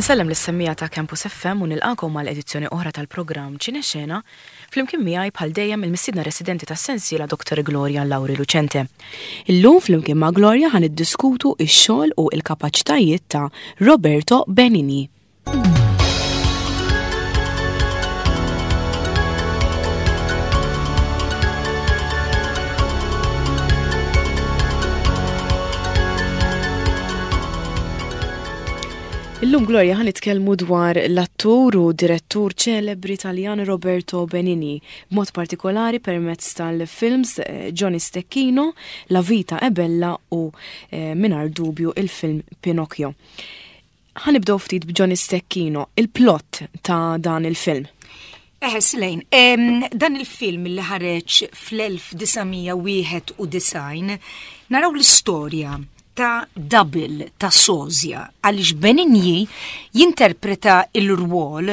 Insellem lis-semmiegħa ta' Campus FM u nilqagħkom għal edizzjoni oħra tal-programm Ċinexena, flimkien miegħi bħal dejjem il-mistiedna residenti tas-sensiela Dr. Gloria Lauri Lucente. Illum flimkien ma' Gloria ħa niddiskutu x-xogħol u l-kapaċitajiet ta' Roberto Benigni. Illum Gloria ħa nitkellmu dwar l-attur u direttur ċelebri Taljan Roberto Benigni, b'mod partikolari permezz tal-films eh, Johnny Stecchino, La Vita è Bella u eh, mingħajr dubju il-film Pinocchio. Ħa nibdew ftit b'Johnny Stecchino, il-plot ta' dan il-film. Eħe, Slejn, dan il-film li ħareġ fl-1991 naraw l-istorja ta' double ta' sozja għaliex Benigni jinterpreta il-rwol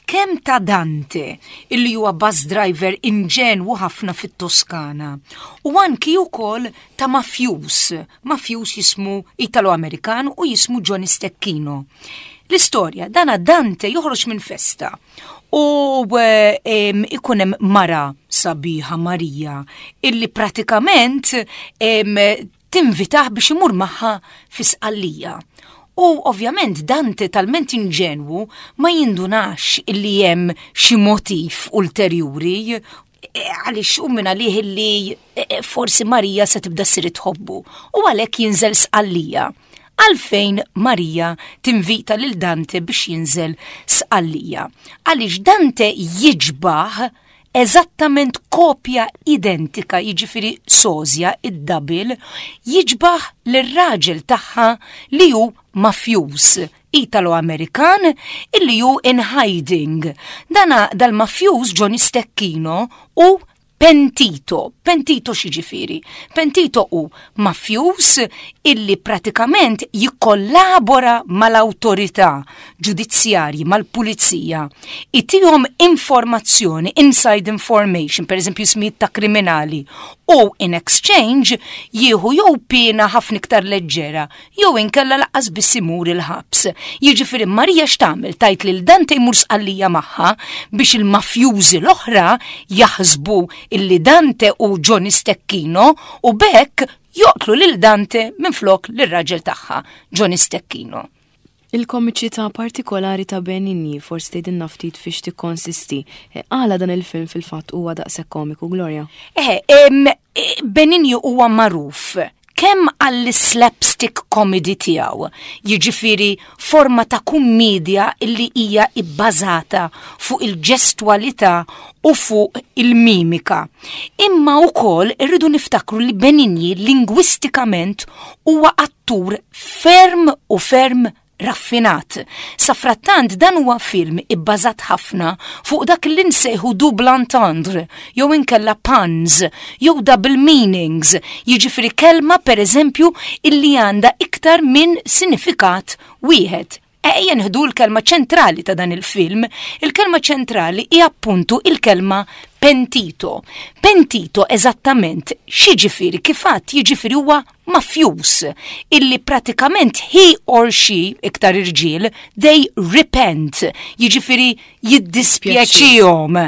kemm ta' Dante illi huwa bus driver inġenwu ħafna fit-Toskana u anki wkoll ta' mafjus, mafjus jismu Italo-Amerikan u jismu Johnny Stecchino. L-istorja, dana Dante joħroġ minn festa u ikun hemm mara sabiħa Marija illi pratikament tinvitah biex imur magħha fi Sqallija. U ovvjament Dante talment inġenwu ma jindunax illi hemm xi motiv ulterjuri e, għaliex u minn għalih illi e, e, forsi Marija se tibda ssir tħobbu u għalhekk jinżel Sqallija. Għalfejn Marija tinvita lil Dante biex jinżel Sqallija? Għaliex Dante jiġbaħ eżattament kopja identika, jiġifieri sożja, id-double, jiġbaħ lir-raġel tagħha li hu mafjuż Italo-Amerikan illi hu in hiding. Dana dal-mafjuż Johnny Stecchino hu pentito. Pentito x'jiġifieri? Pentito hu mafjuż illi pratikament jikkollabora mal-awtorità ġudizzjarji, mal-pulizija, itihom informazzjoni, inside information, per eżempju ismijiet ta' kriminali, u in exchange jieħu jew piena ħafna iktar leġġera jew inkella laqqas biss imur il-ħabs. Jiġifieri Marija x'tagħmel tgħid lil Dante jmur Sqallija magħha biex il-mafjużi l-oħra jaħsbu illi Dante hu Johnny Stecchino u b'hekk joqtlu lil Dante minflok lir-raġel tagħha, Johnny Stecchino. Il-komiċità partikolari ta' Benigni, forsi tgħidilna ftit fiex tikkonsisti. Eh, għala dan il-film fil-fatt huwa daqshekk komiku, Gloria? Eh, eh, Benigni huwa magħruf kemm għall-slapstick comedy tiegħu, jiġifieri forma ta' kummedja illi hija ibbażata fuq il-ġestwalità u fuq il-mimika. Imma wkoll irridu niftakru li Benigni lingwistikament huwa attur ferm u ferm raffinat. Safrattant dan huwa film ibbażat ħafna fuq dak li nsejħu double entendre jew inkella puns jew double meanings, jiġifieri kelma pereżempju illi għandha iktar minn sinifikat wieħed. Ejja nieħdu l-kelma ċentrali ta' dan il-film. Il-kelma ċentrali hi appuntu il-kelma pentito. Pentito eżattament x'jiġifieri kif għadt jiġifieri huwa mafjuż illi pratikament he or she, iktar irġiel, they repent, jiġifieri jiddispjaċihom.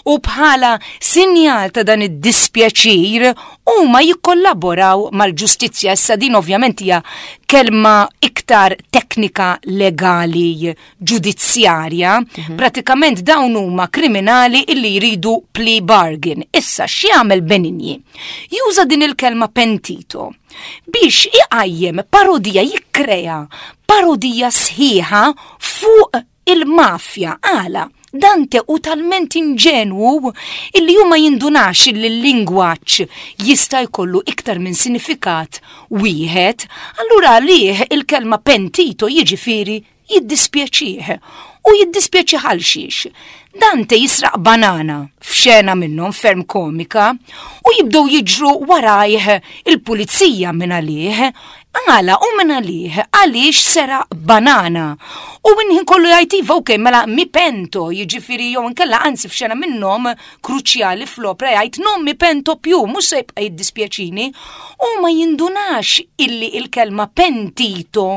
U bħala sinjal ta' dan id-dispjaċir huma jikkollaboraw mal-ġustizzja. Issa din ovvjament hija kelma iktar teknika legali ġudizzjarja. Mhm. Pratikament dawn huma kriminali illi jridu plea bargain. Issa x'jagħmel Benigni? Juża din il-kelma pentito biex iqajjem parodija jikkrea parodija sħiħa fuq il-mafja għala. Dante hu talment inġenwu illi hu ma jindunax illi l-lingwaġġ jista' jkollu iktar minn sinifikat wieħed, allura għalih il-kelma pentito jiġifieri jiddispjaċih. U jiddispjaċih għal xiex? Dante jisraq banana f'xena minnhom ferm komika u jibdew jiġru warajh il-pulizija minn għalih. Għala u minn għalih għaliex seraq banana. U il-ħin kollu jgħid iva ok mela mi pento jiġifieri jew inkella anzi f'xena minnhom kruċjali fl-opra jgħid non mi pento più mhux se jibqa' jiddispjaċini u ma jindunax illi il-kelma pentito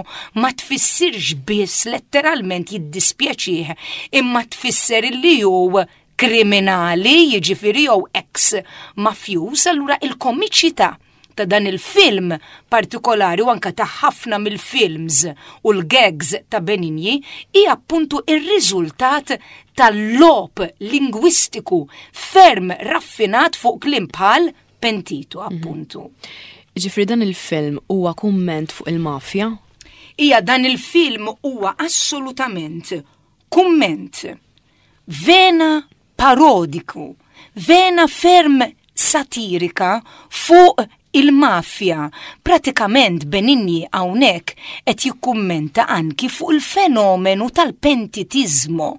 ma tfissirx biss letteralment jiddispjaċih imma tfisser illi hu kriminali jiġifieri jew ex mafjuż allura il-komiċità ta' dan il-film partikolari u anka ta' ħafna mill-films u l-gags ta' Benigni hi appuntu ir-riżultat tal-logħob lingwistiku ferm raffinat fuq kliem bħal pentito appuntu. Ġifieri dan il-film huwa kumment fuq il-mafja? Ija dan il-film huwa assolutament kumment vena parodiku, vena ferm satirika fuq il-mafja. Pratikament Benigni hawnhekk qed jikkummenta anki fuq il-fenomenu tal-pentitizmo.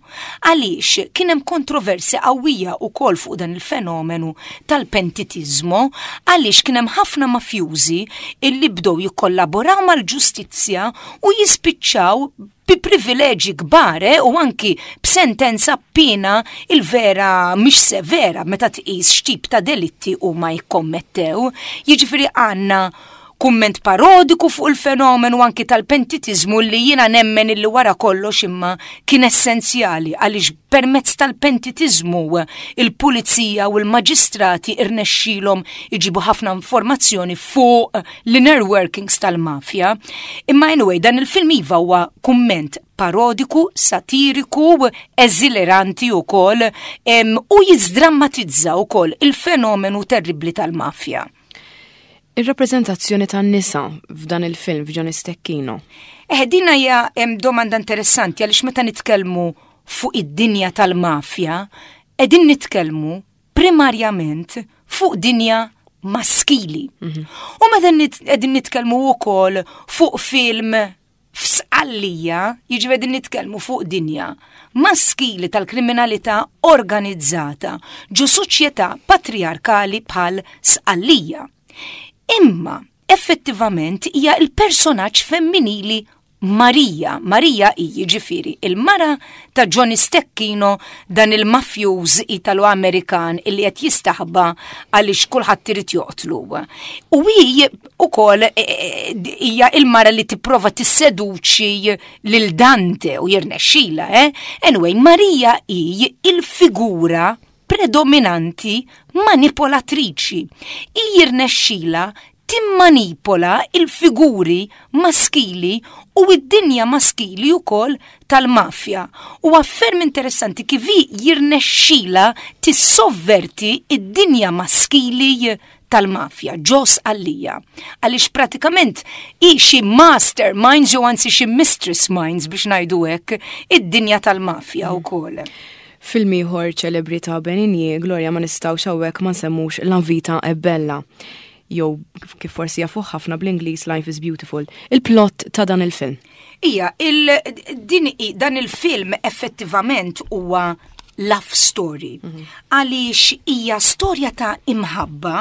Għaliex kien hemm kontroversja qawwija wkoll fuq dan il-fenomenu tal-pentitizmo għaliex kien hemm ħafna mafjużi illi bdew jikkollaboraw mal-ġustizzja u jispiċċaw bi privileġi kbar eh, u anki b'sentenza piena il-vera mhix severa meta tqis x'tip ta' delitti huma jikkommettew. Jiġifieri għandna kumment parodiku fuq il-fenomenu anki tal-pentitizmu li jiena nemmen illi wara kollox imma kien essenzjali għaliex permezz tal-pentitizmu il-pulizija u l-maġistrati irnexxilhom iġibu ħafna informazzjoni fuq l-inner workings tal-mafja. Imma anyway, dan il-film iva huwa kumment parodiku, satiriku, eżileranti wkoll u jizdrammatizza wkoll il-fenomenu terribli tal-mafja. Ir-rappreżentazzjoni tan-nisa f'dan il-film f'Johnny Stecchino. Eh, din hija domanda interessanti għaliex meta nitkellmu fuq id-dinja tal-mafja, qegħdin nitkellmu primarjament fuq dinja maskili. U meta qegħdin nitkellmu wkoll fuq film f'Sqallija, jiġifieri qegħdin nitkellmu fuq dinja maskili tal-kriminalità organizzata ġo soċjetà patriarkali bħal Sqallija. Imma effettivament hija l-personaġġ femminili Marija, Marija hi jiġifieri il-mara ta' Johnny Stecchino dan il-mafjuż Italo-Amerikan illi qed jistaħba għaliex kulħadd irid joqtlu. U hi ukoll e, e, e, hija il-mara li tipprova tisseduċi lil Dante u jirnexxila, eh? Anyway, Marija hi il-figura predominanti manipolatriċi. Hi jirnexxila timmanipola il-figuri maskili u id-dinja maskili wkoll tal-mafja. U ferm interessanti kif hi jirnexxila tissovverti id-dinja maskili tal-mafja, ġo Sqallija. Għaliex pratikament hi xi master minds jew anzi xi mistress minds biex ngħidu hekk id-dinja tal-mafja wkoll. Film ieħor ċelebri ta' Benigni, Gloria ma nistgħux hawnhekk ma nsemmux La Vita è Bella. Jew kif forsi jafuh ħafna bl-Ingliż Life is Beautiful. Il-plot ta' dan il-film. Ija, il, din, dan il-film effettivament huwa love story. Għaliex hija storja ta' imħabba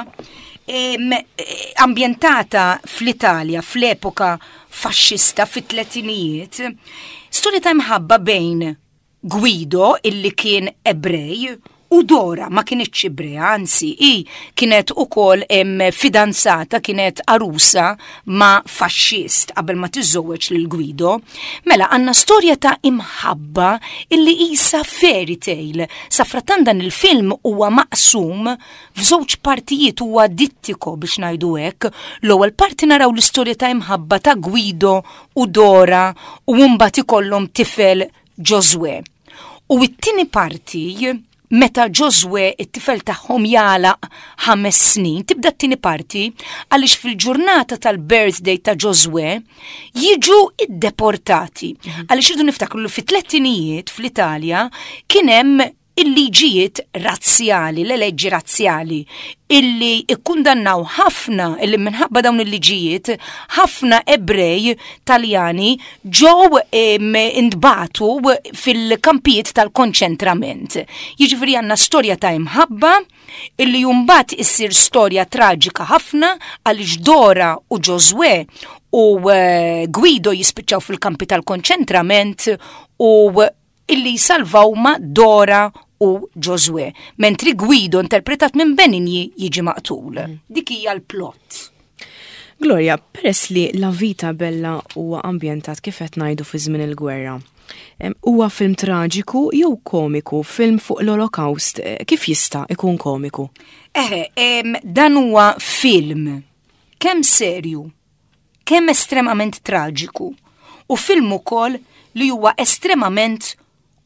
ambjentata fl-Italja fl-epoka faxxista fit-tletinijiet, storja ta' imħabba bejn Guido illi kien Ebrej u Dora ma kinitx Ebrea, anzi hi kienet ukoll fidanzata, kienet arusa ma' faxxist qabel ma tiżżewweġ lil Guido. Mela għandna storja ta' imħabba illi isa fairy tale. Safrattan dan il-film huwa maqsum f'żewġ partijiet huwa dittiko biex ngħidu hekk. L-ewwel parti naraw l-istorja ta' imħabba ta' Guido u Dora u mbagħad ikollhom tifel Ġożwè. U t-tieni parti meta Ġożwè it-tifel tagħhom jagħlaq 5 snin, tibda t-tieni parti għaliex fil-ġurnata tal-birthday ta' Ġożwè jiġu iddeportati. Għaliex irridu niftakru li fit-tlettinijiet fl-Italja kien hemm il-liġijiet razzjali, l-leġġi razzjali, illi ikkundannaw ħafna, illi minħabba dawn il-liġijiet, ħafna Ebrej Taljani ġew intbagħtu fil-kampijiet tal-konċentrament. Jiġifieri għandna storja ta' imħabba illi mbagħad issir storja traġika ħafna għaliex Dora u Ġożwè u eh, Guido jispiċċaw fil-kampi tal-konċentrament u illi jsalvaw ma Dora u Ġożwè, mentri Guido interpretat minn Benigni jiġi maqtul. Dik hija l-plot. Gloria, peress li La Vita Bella huwa ambjentat kif qed ngħidu fi żmien il-gwerra, huwa film traġiku jew komiku, film fuq l-Olokawst, eh, kif jista' ikun komiku? Eħe, dan huwa film kemm serju, kemm estremament traġiku u film ukoll li huwa estremament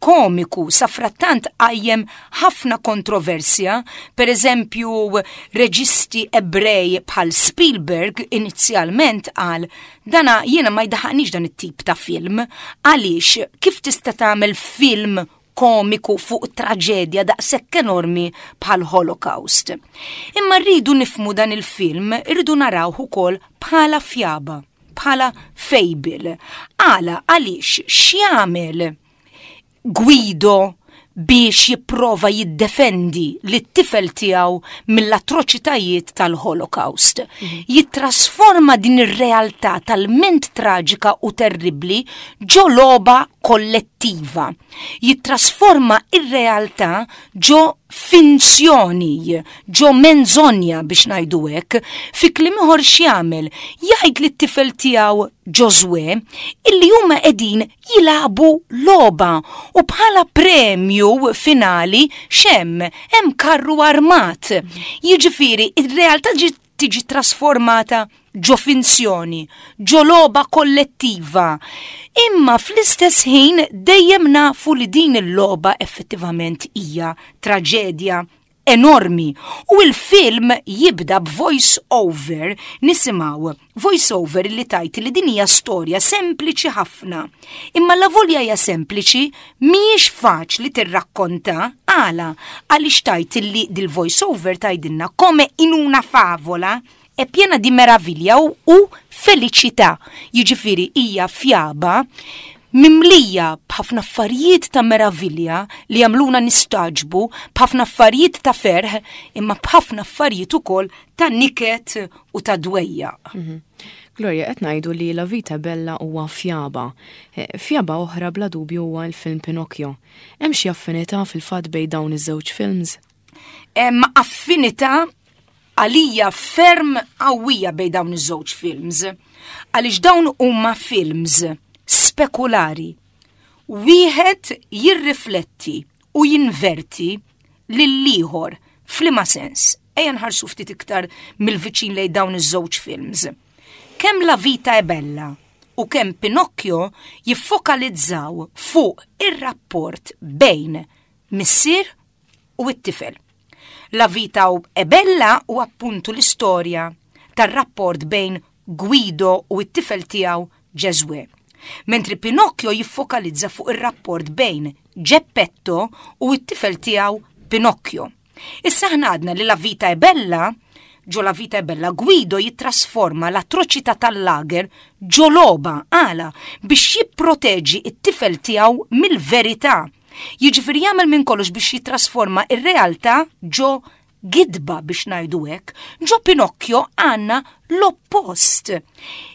komiku safrattant qajjem ħafna kontroversja, per eżempju reġisti Ebrej bħal Spielberg inizjalment qal dana jiena ma jdaħaqnix dan it-tip ta' film għaliex kif tista' tagħmel film komiku fuq traġedja daqshekk enormi bħal Holocaust. Imma rridu nifmu dan il-film, rridu narawh ukoll bħala fjaba, bħala fable. Għala għaliex x'jagħmel Guido biex jipprova jiddefendi lit-tifel tiegħu mill-atroċitajiet tal-Holocaust. Mhm. Jittrasforma din ir-realtà talment traġika u terribbli ġo logħba kollettiva. Jittrasforma ir-realtà ġo finzjoni, ġo menzonja biex ngħidu hekk, fi kliem ieħor x'jagħmel? Jgħid lit-tifel tiegħu Ġożwè illi huma qegħdin jilagħbu logħba u bħala premju finali x'hemm? Hemm karru armat. Jiġifieri ir-realtà tiġi trasformata ġo finzjoni, ġo logħba kollettiva. Imma fl-istess ħin dejjem nafu li din il-logħba effettivament hija traġedja enormi u l-film jibda b'voice over nisimgħu voice over li tajt li din hija storja sempliċi ħafna. Imma la volja hija sempliċi mhijiex faċli tirrakkonta għala għaliex tajt li dil-voice over tgħidilna come in una favola è piena di meraviglia u, u felicità. Jiġifieri hija fjaba mimlija b'ħafna affarijiet ta' meravilja li jagħmluna nistagħġbu, b'ħafna affarijiet ta' ferħ, imma b'ħafna affarijiet ukoll ta' niket u ta' dwejjaq. Mhm. Gloria, qed ngħidu li La Vita Bella huwa fjaba. Eh, fjaba oħra bla dubju huwa l-film Pinocchio. Hemm xi affinità fil-fatt bejn dawn iż-żewġ films? Hemm affinità għalija ferm qawwija bejn dawn iż-żewġ films. Għaliex dawn huma films spekulari. Wieħed jirrifletti u jinverti lill-ieħor f'liema sens. Ejja nħarsu ftit iktar mill-viċin lejn dawn iż-żewġ films. Kemm La Vita è Bella u kemm Pinocchio jiffokalizzaw fuq ir-rapport bejn missier u t-tifel. La Vita è Bella u appuntu l-istorja tar-rapport bejn Guido u t-tifel tiegħu Ġeżwè. Mentri Pinocchio jiffokalizza fuq ir-rapport bejn Geppetto u t-tifel tiegħu Pinocchio. Issa aħna għadna li La Vita è Bella, ġo La Vita è Bella, Guido jittrasforma l-atroċità tal-lager ġo logħba għala biex jipproteġi t-tifel tiegħu mill-verità. Jiġifieri jagħmel minn kollox biex jittrasforma r-realtà ġo gidba biex ngħidu hekk, ġo Pinocchio għandna l-oppost.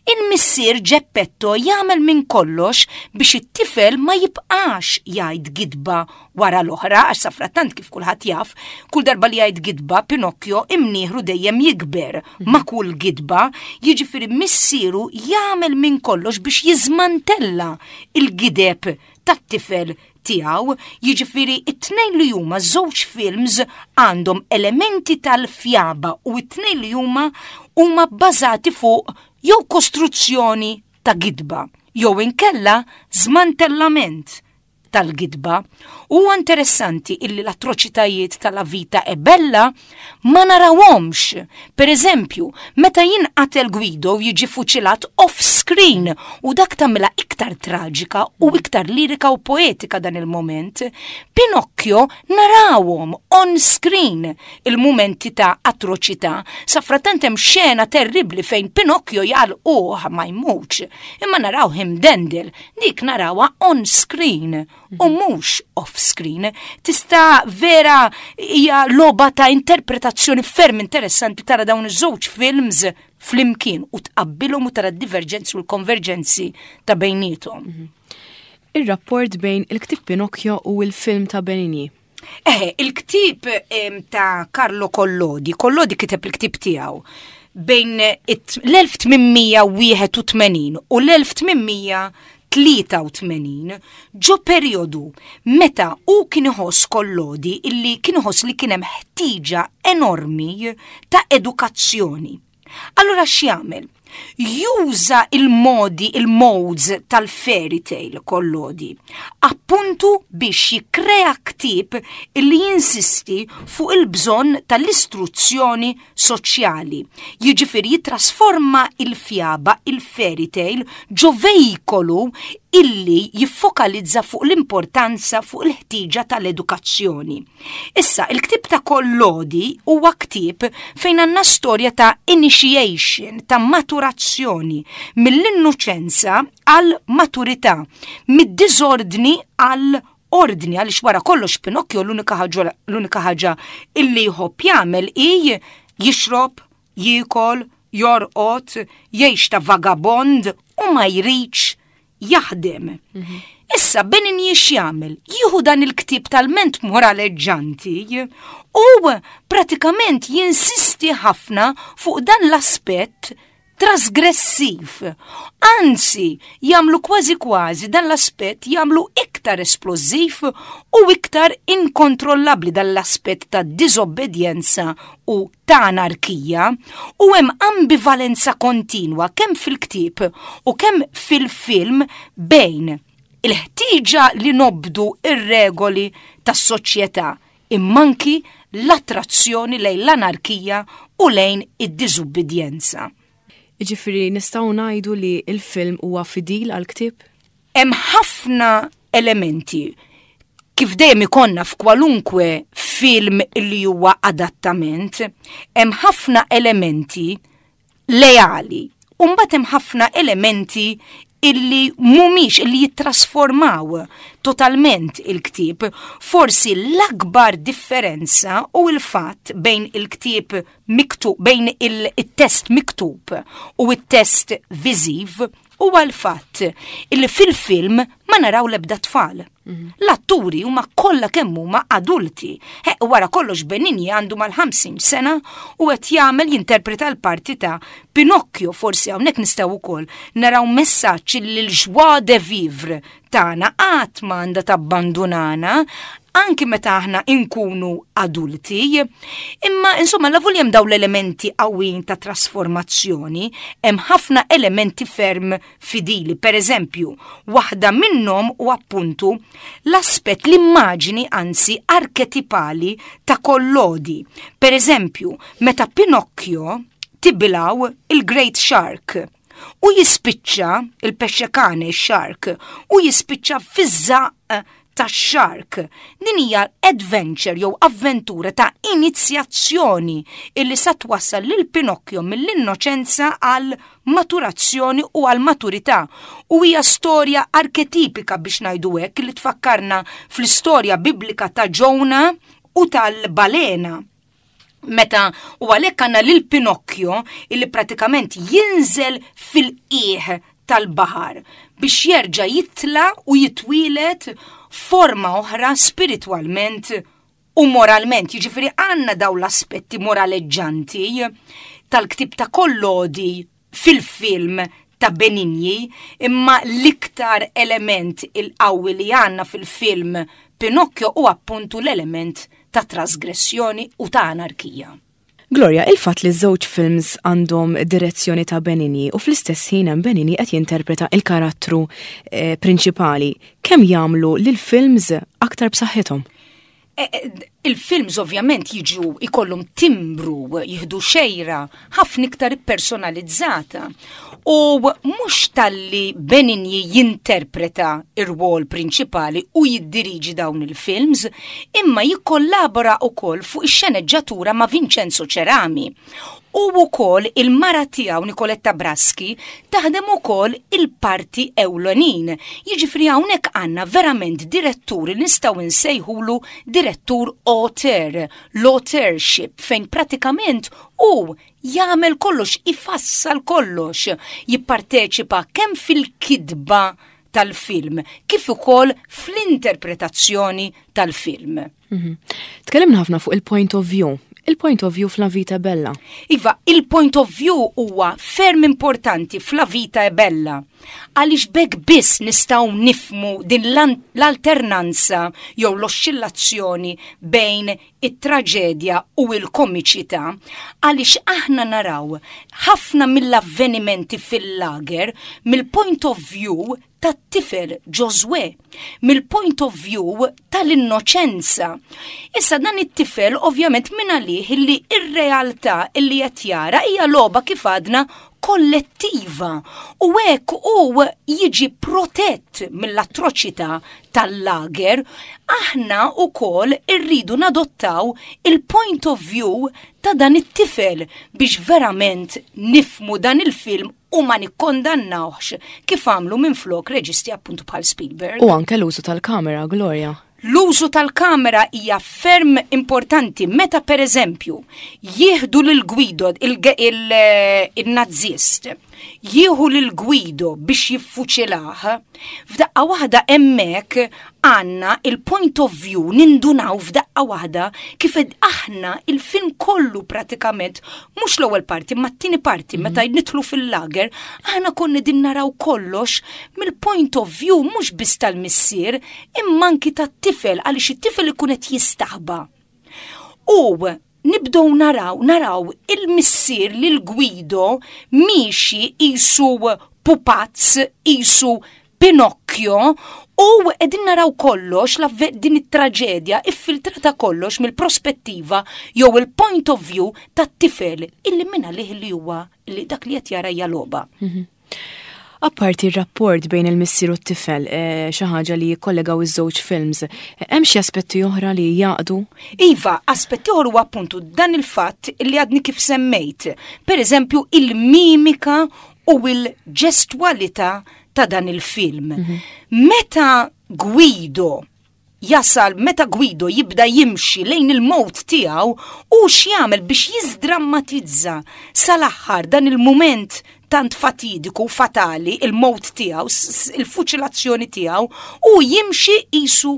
Il-missier Geppetto jagħmel minn kollox biex it-tifel ma jibqax jgħid gidba wara l-oħra għax safrattant kif kulħadd jaf, kull darba li jgħid gidba Pinocchio imnieħru dejjem jikber ma' kull gidba, jiġifieri missieru jagħmel minn kollox biex jiżmantella il-gideb tat-tifel tiegħu, jiġifieri t-tnejn li huma żewġ films għandhom elementi tal-fjaba u t-tnejn li huma huma bbażati fuq jew kostruzzjoni ta' gidba jew inkella żmantellament tal-gidba. Huwa interessanti illi l-atroċitajiet ta' La Vita è Bella ma narawhomx. Per eżempju, meta jinqatel Guido jiġi fuċilat off-screen u dak tagħmilha iktar traġika u iktar lirika u poetika dan il-moment. Pinocchio narawhom on-screen il-mumenti ta' atroċità. Safrattant hemm xena terribbli fejn Pinocchio jgħalquh ma jmutx, imma narawh imdendel, dik narawha on-screen. u mhux off-screen. Tista' vera hija logħba ta' interpretazzjoni ferm interessanti tara dawn iż-żewġ films flimkien u tqabbilhom u tara d-diverġenzi u l-konverġenzi ta' bejniethom. Ir-rapport bejn il-ktieb Pinocchio u l-film ta' Benigni. Eħe, il-ktieb ta' Carlo Collodi, Collodi kiteb il-ktieb tiegħu bejn l-1881 u l-1883 ġo perjodu meta hu kien iħoss Collodi illi kien iħoss li kien hemm ħtieġa enormi ta' edukazzjoni. Allura x'jagħmel? Juża il-modi, il-modes tal-fairy tale Collodi, appuntu biex jikkrea ktieb illi jinsisti fuq il-bżonn tal-istruzzjoni soċjali. Jiġifieri jittrasforma il-fjaba, il-fairy tale, ġo veikolu illi jiffokalizza fuq l-importanza fuq il-ħtieġa tal-edukazzjoni. Issa, il-ktieb ta' Collodi huwa ktieb fejn għandna storja ta' initiation, ta' maturazzjoni, mill-innoċenza għal maturità, mid-diżordni għal ordni, għaliex wara kollox Pinocchio l-unika ħaġa l-unika ħaġa illi jħobb jagħmel hi jixrob, jiekol, jorqod, jgħix ta' vagabond u ma jridx jaħdem. Issa Benigni x'jagħmel? Jieħu dan il-ktieb talment moraleġġanti u pratikament jinsisti ħafna fuq dan l-aspett trasgressiv. Anzi, jagħmlu kważi kważi dan l-aspett jagħmlu iktar esplożiv u iktar inkontrollabbli dan l-aspett ta' diżobbedjenza u ta' anarkija u hemm ambivalenza kontinwa kemm fil-ktieb u kemm fil-film bejn il-ħtieġa li nobdu ir-regoli tas-soċjetà imma anki l-attrazzjoni lejn l-anarkija u lejn id-diżubbidjenza. Jiġifieri nistgħu ngħidu li l-film huwa fidil għall-ktieb? Hemm ħafna elementi kif dejjem ikollna f'kwalunkwe film li huwa adattament, hemm ħafna elementi leali. U mbagħad hemm ħafna elementi illi mhumiex illi jittrasformaw totalment il-ktieb. Forsi l-akbar differenza hu l-fatt bejn il-ktieb miktub, bejn il-test miktub u t-test viżiv huwa l-fatt illi fil-film ma naraw l-ebda tfal. L-atturi huma kollha kemm huma adulti. He, wara kollox Benigni għandu mal-50 sena u qed jagħmel jinterpreta l-parti ta' Pinocchio. Forsi hawnhekk nistgħu wkoll naraw messaġġ li l-joie de vivre tagħna qatt ma għandha tabbandunana anki meta aħna inkunu adulti. Imma insomma la hemm dawn l-elementi qawwin ta' trasformazzjoni, hemm ħafna elementi ferm fidili. Per eżempju, waħda minnhom u appuntu l-aspett l-immaġini anzi arketipali ta' Collodi. Per eżempju, meta Pinocchio tibilgħu il-Great Shark u jispiċċa il-pexxekane shark u jispiċċa fiż-żaqq tax-shark. Din hija adventure jew avventura ta' inizjazzjoni illi sa twassal lil Pinocchio mill-innoċenza għal maturazzjoni u għal maturità. U hija storja arketipika biex ngħidu hekk li tfakkarna fl-istorja biblika ta' Ġona u tal-balena. Meta u għalhekk għandna lil Pinocchio illi pratikament jinżel fil-qiegħ tal-baħar biex jerġa' jitla' u jitwielet forma oħra spiritwalment u moralment. Jiġifieri għandna dawn l-aspetti moraleġġanti tal-ktieb ta' Collodi fil-film ta' Benigni, imma l-iktar element il-qawwi li għandna fil-film Pinocchio hu appuntu l-element ta' trasgressjoni u ta' anarkija. Gloria, il-fatt li ż-żewġ films għandhom direzzjoni ta' Benigni u fl-istess ħin hemm Benigni qed jinterpreta il-karattru prinċipali, kemm jagħmlu lill-films aktar b'saħħithom? Il-films ovvjament jiġu ikollhom timbru, jieħdu xejra ħafna iktar ippersonalizzata. U mhux talli Benigni jinterpreta ir-rwol prinċipali u jiddiriġi dawn il-films, imma jikkollabora wkoll fuq ix-xeneġġatura ma' Vincenzo Cerami. U wkoll il-mara tiegħu Nicoletta Braschi taħdem ukoll il-parti ewlenin. Jiġifieri hawnhekk għandna verament direttur li nistgħu nsejħulu direttur auteur, l-authorship fejn pratikament hu jagħmel kollox, ifassal kollox, jipparteċipa kemm fil-kitba tal-film kif ukoll fl-interpretazzjoni tal-film. Mhm. Tkellimna ħafna fuq il-point of view. Il-point of view f'La Vita è Bella. Iva, il-point of view huwa ferm importanti f'La Vita è Bella. Għaliex b'hekk biss nistgħu nifmu din l-alternanza jew l-oxxillazzjoni bejn it-traġedja u l-komiċità, għaliex aħna naraw ħafna mill-avvenimenti fil-lager mill-point of view tat-tifel Ġożwè, mill-point of view tal-innoċenza. Issa dan it-tifel ovvjament minn għalih illi ir-realtà illi qed jara hija logħba kif għadna kollettiva u hekk hu jiġi protett mill-atroċità tal-lager, aħna wkoll irridu nadottaw il-point of view ta' dan it-tifel biex verament nifmu dan il-film u ma nikkondannawhx kif għamlu minflok reġisti appuntu bħal Spielberg. U anke l-użu tal-kamera, Gloria. L-użu tal-kamera hija ferm importanti meta per eżempju jieħdu lil Guido il-nazzist, jieħu lil Guido biex jiffuċilah, f'daqqa waħda hemmhekk għandna il-point of view nindunaw f'daqqa waħda kif aħna il-film kollu pratikament mhux l-ewwel parti ma t-tieni parti mhm. meta nidħlu fil-lager aħna konna din naraw kollox mill-point of view mhux biss tal-missier imma anki tat-tifel għaliex it-tifel ikun qed jistaħba. U nibdew naraw, naraw il-missier lil Guido miexi qisu pupazz, qisu Pinocchio u qegħdin naraw kollox din it-traġedja iffiltrata kollox mill-prospettiva jew il-point of view tat-tifel illi minn għalih li huwa li dak li qed jara hija logħba. Mhm. Apparti r-rapport bejn il-missier u t-tifel, eh, xi ħaġa li jikkollegaw iż-żewġ films, eh, hemm xi aspetti oħra li jaqdu? Iva, aspetti oħra huwa appuntu dan il-fatt li għadni kif semmejt. Per eżempju, il-mimika u il-ġestwalità ta' dan il-film. Mhm. Meta Guido jasal meta Guido jibda jimxi lejn il-mowt tiegħu u x'jagħmel biex jiżdrammatizza sal-aħħar dan il-mument tant fatidiku u fatali, il-mowt tiegħu, il-fuċilazzjoni tiegħu, u jimxi qisu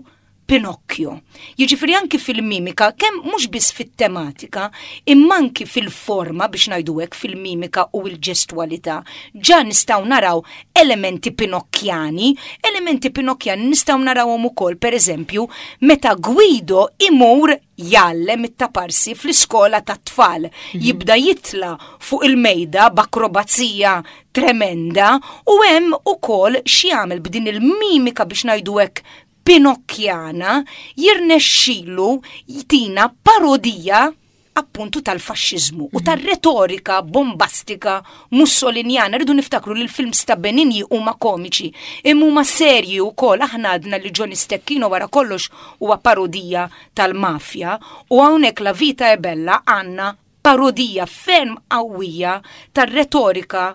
Pinocchio. Jiġifieri anki fil-mimika, kemm mhux biss fit-tematika, imma anki fil-forma biex ngħidu hekk fil-mimika u l-ġestwalità, ġa nistgħu naraw elementi Pinokkjani, elementi Pinokkjani nistgħu narawhom ukoll pereżempju meta Guido imur jgħallem it-taparsi fl-iskola tat-tfal, mhm. jibda jitla fuq il-mejda b'akrobazija tremenda u hemm ukoll x'jagħmel b'din il-mimika biex ngħidu hekk Pinokkjana jirnexxilu jtina parodija appuntu tal-faxxiżmu u mhm. tar-retorika bombastika mussolinjana. Rridu niftakru li l-films ta' Benigni huma komiċi, imma huma serji wkoll. Aħna għadna li Johnny Stecchino wara kollox huwa parodija tal-mafja u hawnhekk La Vita è Bella għandna parodija ferm qawwija tar-retorika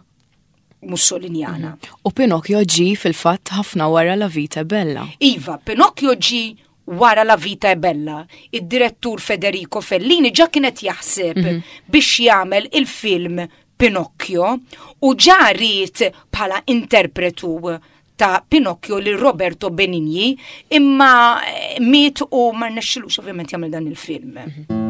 Mussolinjana. Mhm. U Pinocchio ġi fil-fatt ħafna wara La Vita è Bella. Iva, Pinocchio ġi wara La Vita è Bella. Id-direttur Federico Fellini ġa kienet jaħseb mm -hmm. biex jagħmel il-film Pinocchio u ġa ried bħala interpretu ta' Pinocchio li Roberto Benigni imma eh, miet u ma rnexxilux ovvjament jagħmel dan il-film. Mm -hmm.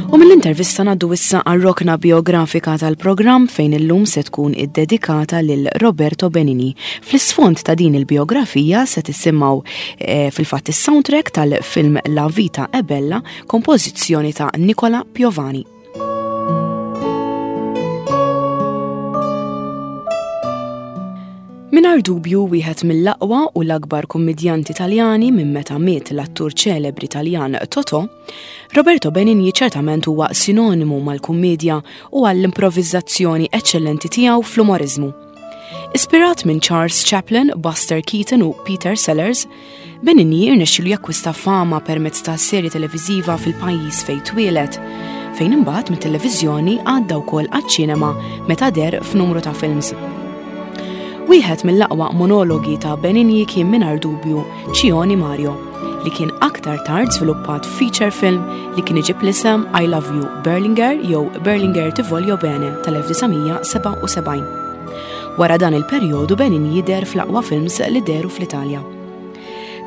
U mill-intervista naddu issa għar-rokna biografika tal-programm fejn illum se tkun iddedikata lil Roberto Benini. Fl-isfond ta' din il-biografija se tisimgħu eh, fil-fatt is-soundtrack tal-film La Vita è Bella, kompożizzjoni ta' Nicola Piovani. Mingħajr dubju wieħed mill-aqwa u l-akbar kummidjanti Taljani minn meta miet l-attur ċelebri Taljan Totò, Roberto Benigni ċertament huwa sinonimu mal-kummedja u għall-improvviżazzjoni eċċellenti tiegħu fl-umoriżmu. Ispirat minn Charles Chaplin, Buster Keaton u Peter Sellers, Benigni irnexxielu jakkwista fama permezz ta' serje televiżiva fil-pajjiż fejn twieled, fejn imbagħad mit-televiżjoni għadda wkoll għaċ-ċinema meta deher f'numru ta' films. Wieħed mill-aqwa monologi ta' Benigni kien mingħajr dubju Cioni Mario, li kien aktar tard żviluppat feature film li kien iġib l-isem I Love You Berlinger jew Berlinger Ti Voglio Bene tal-1977. Wara dan il-perjodu Benigni jidher fl-aqwa films li dehru fl-Italja.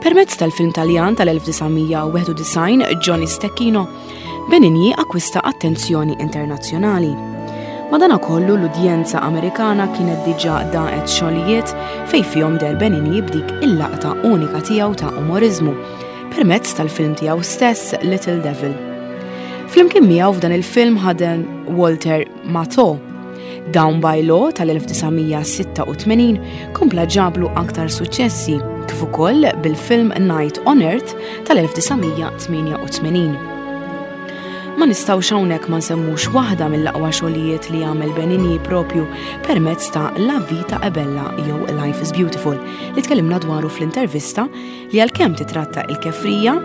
Permezz tal-film Taljan tal-1991 Johnny Stecchino, Benigni akkwista attenzjoni internazzjonali. Madanakollu l-udjenza Amerikana kienet diġà daqet xogħlijiet fejn fihom deher Benigni b'dik il-laqta unika tiegħu ta' umoriżmu permezz tal-film tiegħu stess Little Devil. Flimkien miegħu f'dan il-film ħadem Walter Matthau. Down by Law tal-1986 kompla ġablu aktar suċċessi, kif ukoll bil-film Night on Earth tal-1988. Ma nistgħux hawnhekk ma nsemmux waħda mill-aqwa xogħlijiet li għamel Benigni propju permezz ta' La Vita è Bella jew Life is Beautiful li tkellimna dwaru fl-intervista li għalkemm titratta il-kefrija,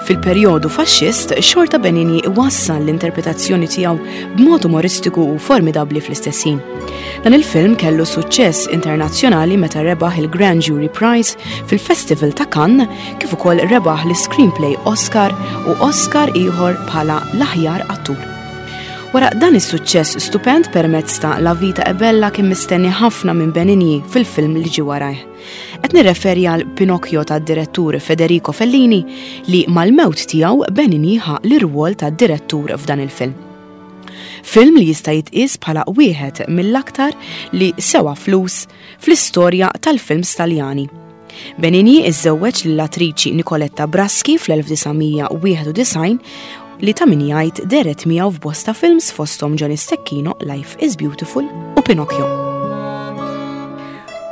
fil-perjodu faxxist xorta Benigni iwassal l-interpretazzjoni tiegħu b'mod umoristiku u formidabbli fl-istess ħin. Dan il-film kellu suċċess internazzjonali meta rebaħ il-Grand Jury Prize fil-Festival ta' Cannes kif ukoll rebaħ l-Screenplay Oscar u Oscar ieħor bħala l-aħjar attur. Wara dan is-suċċess stupend permezz ta' La Vita è Bella kien mistenni ħafna minn Benigni fil-film li ġie warajh. Qed nirreferi għal Pinocchio tad-direttur Federico Fellini li mal-mewt tiegħu Benigni ħa l-irwol ta' direttur f'dan il-film. Film li jista' jitqies bħala wieħed mill-aktar li sewa flus fl-istorja tal-films Taljani. Benigni iżżewweġ lill-attriċi Nicoletta Braschi fl-1991 li ta' min jgħid dehret miegħu f'bosta films fosthom Johnny Stecchino, Life is Beautiful u Pinocchio.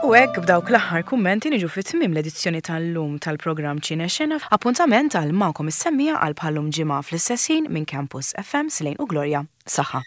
U hekk b'dawk l-aħħar kummenti niġu fi tmiem l-edizzjoni tal-lum tal-programm Ċine Xena. Appuntament għal magħkom is-semmiegħa għal bħal-lum ġimgħa fl-istess ħin minn Campus FM Slane u Gloria. Saħħa.